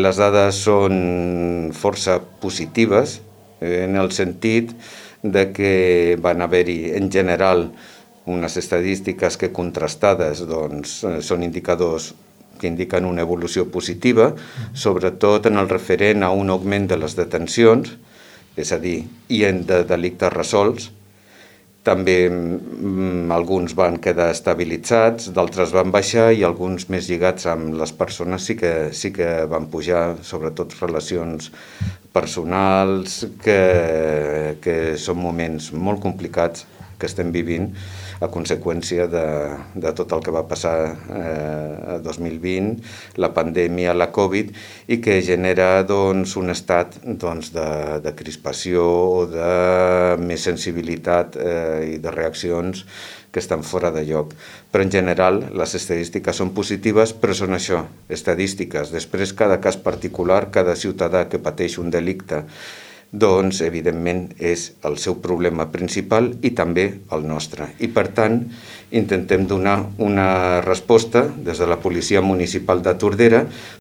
Les dades són força positives en el sentit de que van haver-hi en general unes estadístiques que contrastades són indicadors que indiquen una evolució positiva, sobretot en el referent a un augment de les detencions, és a dir, i de delictes resolts. També alguns van quedar estabilitzats, d'altres van baixar i alguns més lligats amb les persones sí que van pujar, sobretot relacions personals, que són moments molt complicats que estem vivint a conseqüència de tot el que va passar a 2020, la pandèmia, la Covid, i que genera un estat de crispació o de més sensibilitat i de reaccions que estan fora de lloc. Però en general les estadístiques són positives, però són això, estadístiques. Després cada cas particular, cada ciutadà que pateix un delicte, evidentment és el seu problema principal i també el nostre. I per tant intentem donar una resposta des de la Policia Municipal de Tordera